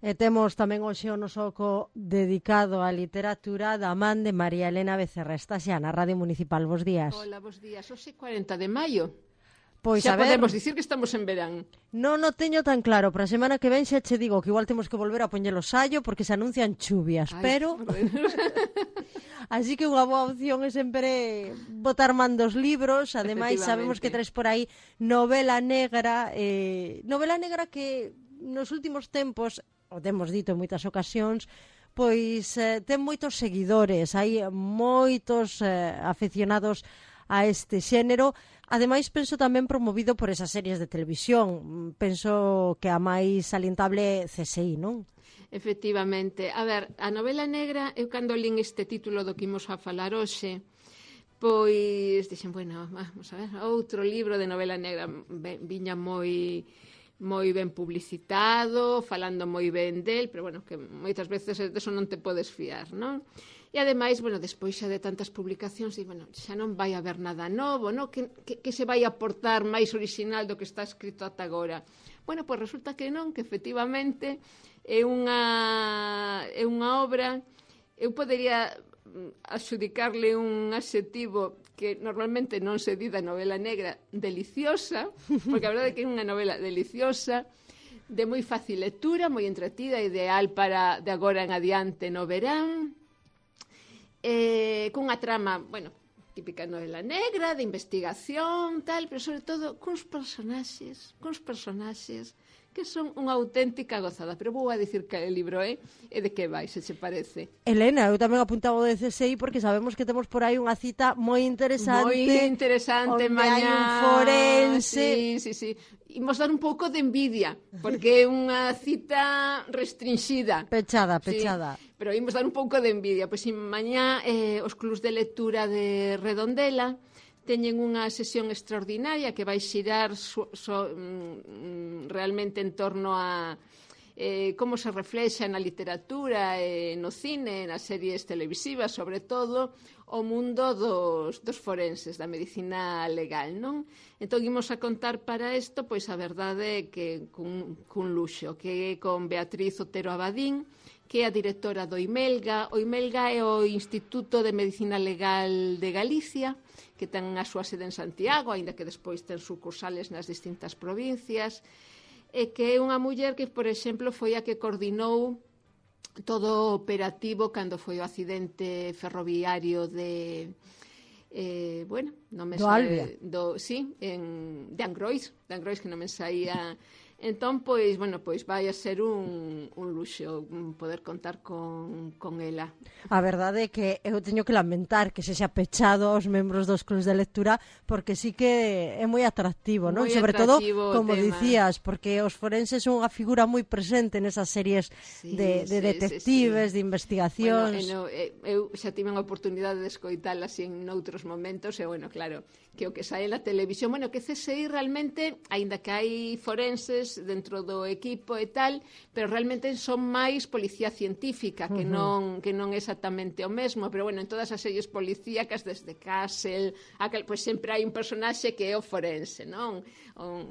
E temos tamén hoxe o noso oco dedicado á literatura da man de María Elena Becerra. Está xa na Radio Municipal. Bos días. Hola, bos días. Hoxe 40 de maio. Pois xa a ver, podemos dicir que estamos en verán. Non o teño tan claro. Para a semana que ven xa che digo que igual temos que volver a poñer o sallo porque se anuncian chuvias, pero... Así que unha boa opción é sempre botar man dos libros. Ademais, sabemos que traes por aí novela negra que nos últimos tempos, o temos dito en moitas ocasións, pois ten moitos seguidores, hai moitos aficionados a este xénero. Ademais, penso tamén promovido por esas series de televisión. Penso que a máis salientable CSI, non? Efectivamente. A ver, a novela negra, eu cando lín este título do que imos a falar hoxe, pois dixen, bueno, vamos a ver, outro libro de novela negra, viña moi ben publicitado, falando moi ben del, pero bueno, que moitas veces deso non te podes fiar, non? E ademais, bueno, despois xa de tantas publicacións, e, bueno, xa non vai haber nada novo, non? Que se vai aportar máis original do que está escrito ata agora. Bueno, pois resulta que non, que efectivamente é unha obra, eu podería adxudicarle un adxetivo que normalmente non se di da novela negra, deliciosa, porque a verdade é que é unha novela deliciosa, de moi fácil lectura, moi entretida, ideal para de agora en adiante no verán, cunha trama, bueno, típica novela negra, de investigación, tal, pero sobre todo cuns personaxes que son unha auténtica gozada. Pero vou a dicir que o libro é e de que vai, se che parece. Elena, eu tamén apuntaba o de CSI porque sabemos que temos por aí unha cita moi interesante. Moi interesante, onde mañá. hai un forense. Sí. Imos dar un pouco de envidia, porque é unha cita restringida. Pechada. Sí, pero imos dar un pouco de envidia. Pois mañá os clubs de lectura de Redondela teñen unha sesión extraordinaria que vai xirar realmente en torno a como se reflexa na literatura, no cine, nas series televisivas, sobre todo, o mundo dos forenses, da medicina legal, non? Entón, imos a contar para isto, pois a verdade é que cun luxo, que é con Beatriz Otero Abadín, que é a directora do IMELGA. O IMELGA é o Instituto de Medicina Legal de Galicia, que ten a súa sede en Santiago, aínda que despois ten sucursales nas distintas provincias, e que é unha muller que, por exemplo, foi a que coordinou todo o operativo cando foi o accidente ferroviario de non me do Albia. De Angrois, que non me saía. Entón, pois vai a ser un luxo poder contar con ela. A verdade é que eu teño que lamentar que se xa pechado aos membros dos clubs de lectura, porque sí que é moi atractivo, non? Sobre todo, como dicías, porque os forenses son unha figura moi presente nesas series de detectives, de investigacións. Bueno, eu xa tive a oportunidade de escoitala así en outros momentos, e, bueno, claro, que o que sae na televisión, bueno, que CSI realmente, aínda que hai forenses dentro do equipo e tal, pero realmente son máis policía científica, que non é exactamente o mesmo, pero bueno, en todas as series policíacas, desde Castle, pois sempre hai un personaxe que é o forense, non?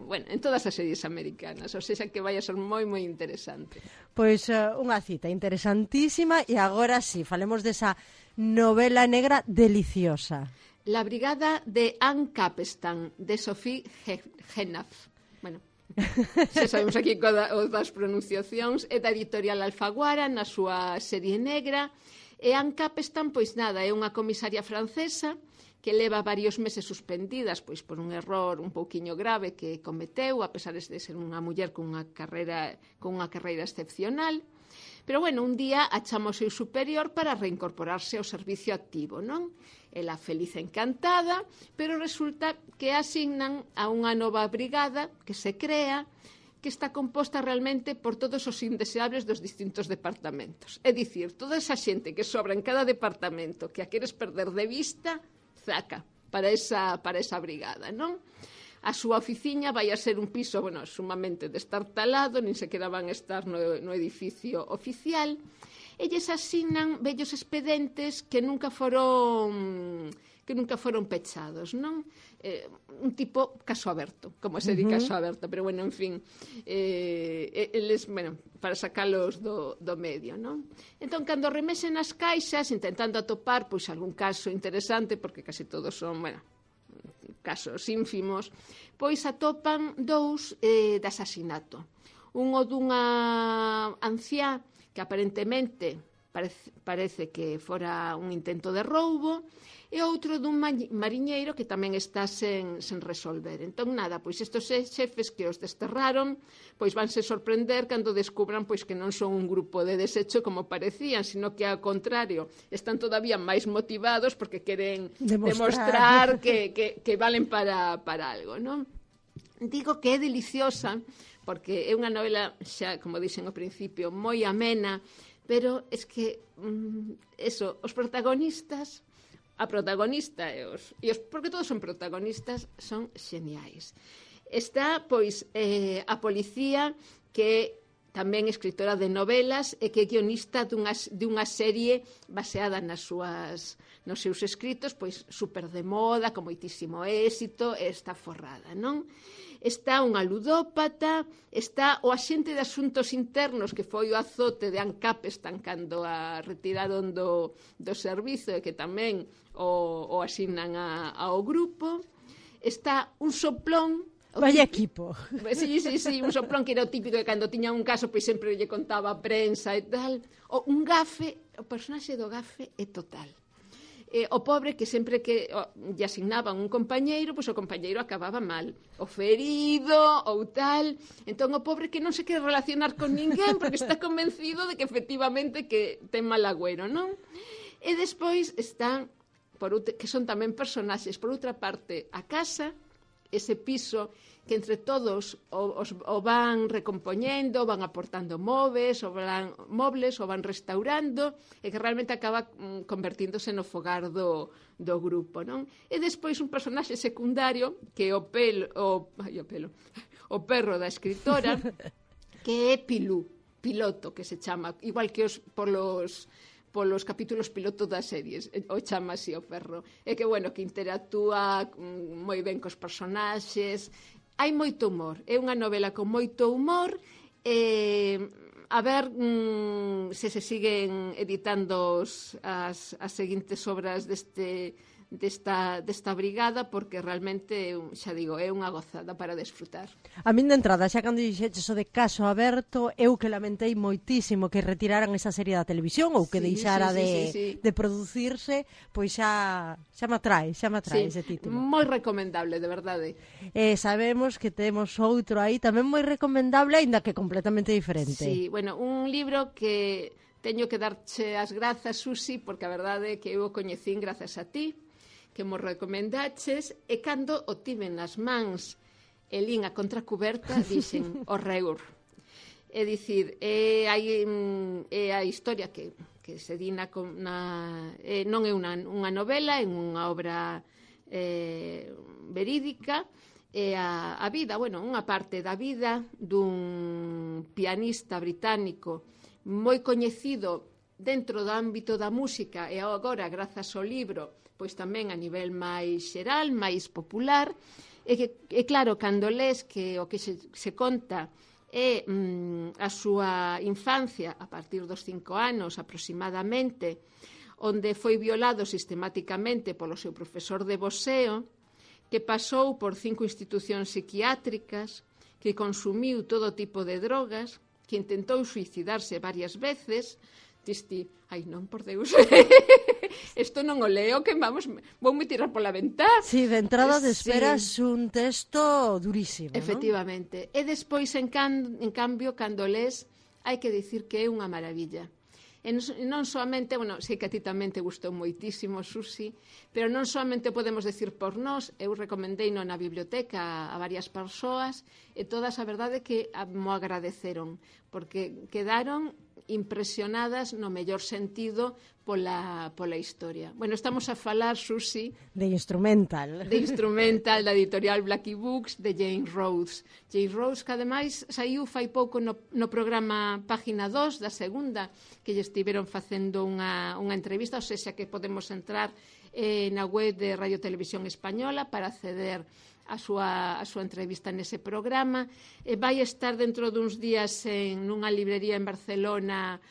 Bueno, en todas as series americanas, ou seja, que vai a ser moi interesante. Pois unha cita interesantísima, e agora sí, falemos desa novela negra deliciosa. La brigada de Anne Capstan, de Sophie Hennaf. Bueno, xa sabemos aquí o das pronunciacións, é da editorial Alfaguara, na súa serie negra, e Anne Capstan, pois nada, é unha comisaria francesa que leva varios meses suspendidas pois por un error un pouquiño grave que cometeu, a pesar de ser unha muller con unha carreira excepcional. Pero, bueno, un día achama o seu superior para reincorporarse ao servicio activo, non? Ela feliz e encantada, pero resulta que asignan a unha nova brigada que se crea, que está composta realmente por todos os indeseables dos distintos departamentos. É dicir, toda esa xente que sobra en cada departamento que a queres perder de vista, zaca, para esa brigada, non? A súa oficiña vai a ser un piso, bueno, sumamente destartalado, nin sequera van estar no edificio oficial. Elles asignan vellos expedientes que nunca foron que nunca foron pechados, non? Un tipo caso aberto, como se di caso aberto, pero bueno, en fin, eles, bueno, para sacalos do medio, non? Entón, cando remesen as caixas, intentando atopar, pois, algún caso interesante, porque casi todos son, bueno, casos ínfimos, pois atopan 2 de asasinato. Unho dunha anciá que aparentemente parece que fora un intento de roubo, e outro dun mariñeiro que tamén está sen resolver. Entón, nada, pois estes xefes que os desterraron, pois vanse sorprender cando descubran pois que non son un grupo de desecho como parecían, sino que, ao contrario, están todavía máis motivados porque queren demostrar que valen para algo, non? Digo que é deliciosa, porque é unha novela, xa, como dixen ao principio, moi amena, pero es que, os protagonistas, a protagonista e os porque todos son protagonistas, son xeniais. Está, pois, a policía, que tamén escritora de novelas e que é guionista dunha serie baseada nos seus escritos, pois, super de moda, con moitísimo éxito, e está forrada, non? Está unha ludópata, está o axente de asuntos internos que foi o azote de Ann Capstan cando a retiraron do servizo e que tamén o asignan ao grupo. Está un soplón. Vaya equipo. Sí, un soplón que era o típico que cando tiña un caso pois sempre lle contaba a prensa e tal. Un gafe, o personaxe do gafe é total. O pobre que sempre que lle asignaban un compañeiro, pois o compañeiro acababa mal, o ferido ou tal. Entón o pobre que non se quere relacionar con ninguén porque está convencido de que efectivamente que ten mal agüero, non? E despois están, que son tamén personaxes, por outra parte, a casa, ese piso que entre todos o van recompoñendo, van aportando mobles, o van restaurando, e que realmente acaba convertíndose no fogar do grupo, non? E despois un personaxe secundario, que é o perro da escritora, que é Pilú, piloto, que se chama, igual que polos capítulos piloto das series, o chama así o perro. E que, bueno, que interactúa moi ben cos personaxes. Hai moito humor. É unha novela con moito humor. A ver se se siguen editando as seguintes obras desta brigada, porque realmente, xa digo, é unha gozada para desfrutar. A min de entrada, xa cando dixeches o de Caso Aberto, eu que lamentei moitísimo que retiraran esa serie da televisión ou que deixara de producirse, pois xa me atrae ese título. Moi recomendable, de verdade. Sabemos que temos outro aí tamén moi recomendable, aínda que completamente diferente. Sí, bueno, un libro que teño que darche as grazas, Susi, porque a verdade é que eu o coñecín grazas a ti, que mo recomendaches, e cando o tiven nas mans e lín a contracuberta, dixen horreur. É dicir, é a historia que se di non é unha novela, é unha obra verídica, é a vida, bueno, unha parte da vida dun pianista británico moi coñecido dentro do ámbito da música e agora, grazas ao libro, pois tamén a nivel máis xeral, máis popular, e claro, cando les que o que se conta é a súa infancia a partir dos 5 anos aproximadamente, onde foi violado sistemáticamente polo seu profesor de boxeo, que pasou por 5 institucións psiquiátricas, que consumiu todo tipo de drogas, que intentou suicidarse varias veces. Disti, ai non, por Deus, isto non o leo, que vou me tirar pola ventá. Sí, de entrada esperas un texto durísimo, efectivamente. E despois, en cambio, cando les, hai que dicir que é unha maravilla. E non soamente, bueno, sei que a ti tamén te gustou moitísimo, Susi, pero non soamente podemos decir por nós, eu recomendei na biblioteca a varias persoas, e todas a verdade que mo agradeceron, porque quedaron impresionadas no mellor sentido pola historia. Bueno, estamos a falar, Susi, de Instrumental, da editorial Blackie Books, de Jane Rhodes. Jane Rhodes, que ademais saiu fai pouco no programa Página 2 da segunda, que lle estiveron facendo unha entrevista, ou seja, que podemos entrar na web de Radio Televisión Española para acceder a súa entrevista nese programa. Vai estar dentro duns días nunha librería en Barcelona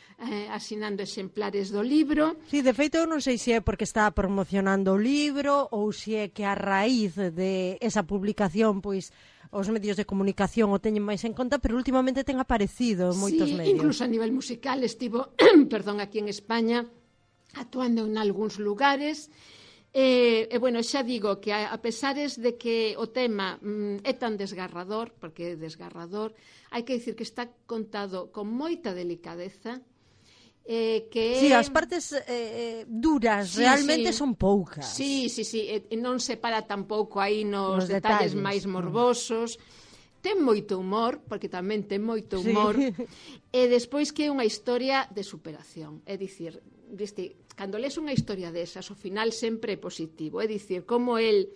asinando exemplares do libro. Sí, de feito, eu non sei se é porque está promocionando o libro ou se é que a raíz de esa publicación, pois, os medios de comunicación o teñen máis en conta, pero últimamente ten aparecido en moitos medios. Incluso a nivel musical estivo, aquí en España, actuando en algúns lugares. Bueno, xa digo que a pesares de que o tema é tan desgarrador, porque é desgarrador, hai que dicir que está contado con moita delicadeza, Sí, as partes duras realmente son poucas. Sí, non se para tampouco aí nos detalles máis morbosos. Ten moito humor, porque tamén ten moito humor, e despois que é unha historia de superación. É dicir, cando lees unha historia desas, o final sempre é positivo. É dicir, como el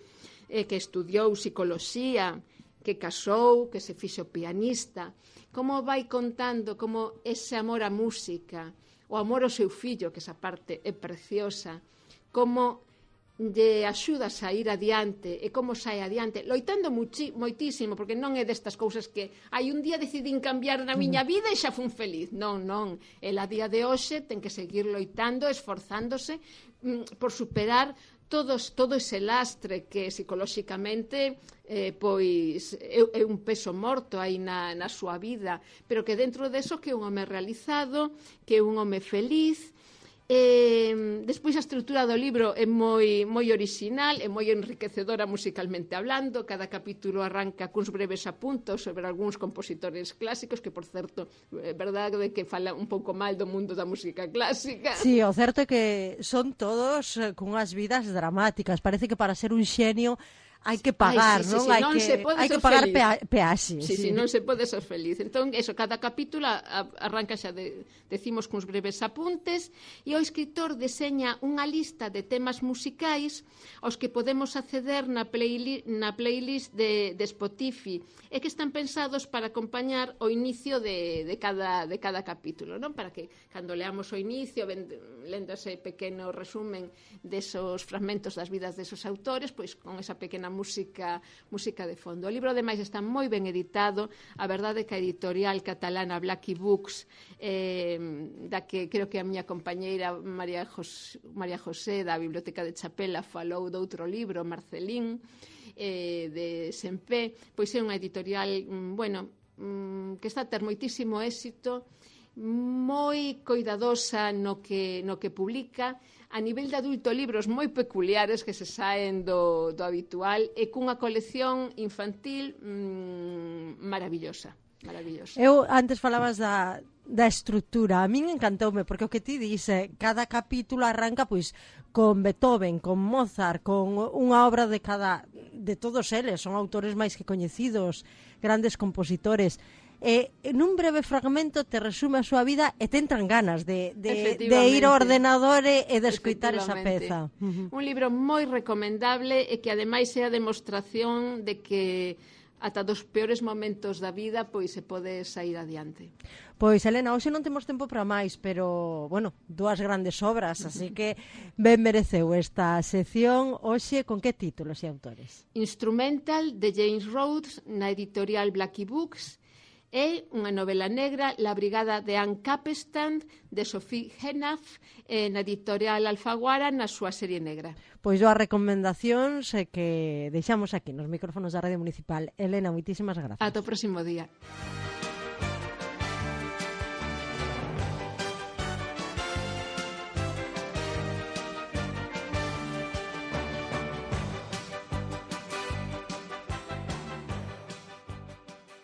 que estudiou psicoloxía, que casou, que se fixo pianista, como vai contando como ese amor á música, o amor ao seu fillo, que esa parte é preciosa, como lle axuda a sair adiante e como sai adiante, loitando moitísimo, porque non é destas cousas que hai un día decidín cambiar na miña vida e xa fun feliz. Non. El a día de hoxe ten que seguir loitando, esforzándose por superar todo ese lastre que psicolóxicamente pois é un peso morto aí na súa vida, pero que dentro deso que é un home realizado, que é un home feliz. Despois a estrutura do libro é moi original, é moi enriquecedora musicalmente hablando. Cada capítulo arranca cuns breves apuntos sobre algúns compositores clásicos, que por certo, é verdade que fala un pouco mal do mundo da música clásica. Sí, o certo é que son todos cunhas vidas dramáticas. Parece que para ser un xenio hai que pagar, non? Hai que pagar peaxe. Sí, non se pode ser feliz. Entón, cada capítulo arranca xa decimos cuns breves apuntes, e o escritor deseña unha lista de temas musicais aos que podemos acceder na playlist de Spotify, e que están pensados para acompañar o inicio de cada capítulo, non? Para que, cando leamos o inicio, lendo ese pequeno resumen desos fragmentos das vidas desos autores, pois con esa pequena música de fondo. O libro, ademais, está moi ben editado. A verdade é que a editorial catalana Blackie Books, da que creo que a miña compañeira María José da Biblioteca de Chapela falou de outro libro, Marcelín, de Sempé, pois é unha editorial que está a ter moitísimo éxito, moi coidadosa no que publica. A nivel de adulto, libros moi peculiares que se saen do habitual, e cunha colección infantil maravillosa. Eu antes falabas da estrutura. A min encantoume, porque o que ti dice, cada capítulo arranca pois con Beethoven, con Mozart, con unha obra de todos eles, son autores máis que coñecidos, grandes compositores. Nun breve fragmento te resume a súa vida e te entran ganas de ir ao ordenador e de escoitar esa peza. Un libro moi recomendable, e que ademais é a demostración de que ata dos peores momentos da vida pois se pode sair adiante. Pois, Elena, hoxe non temos tempo para máis, pero, dúas grandes obras, así que ben mereceu esta sección. Hoxe, con que títulos e autores? Instrumental, de James Rhodes, na editorial Blackie Books, e unha novela negra, La brigada de Ann Capstan, de Sophie Hennaf, na editorial Alfaguara, na súa serie negra. Pois dúas recomendacións que deixamos aquí nos micrófonos da Radio Municipal. Elena, moitísimas grazas. Ata o próximo día.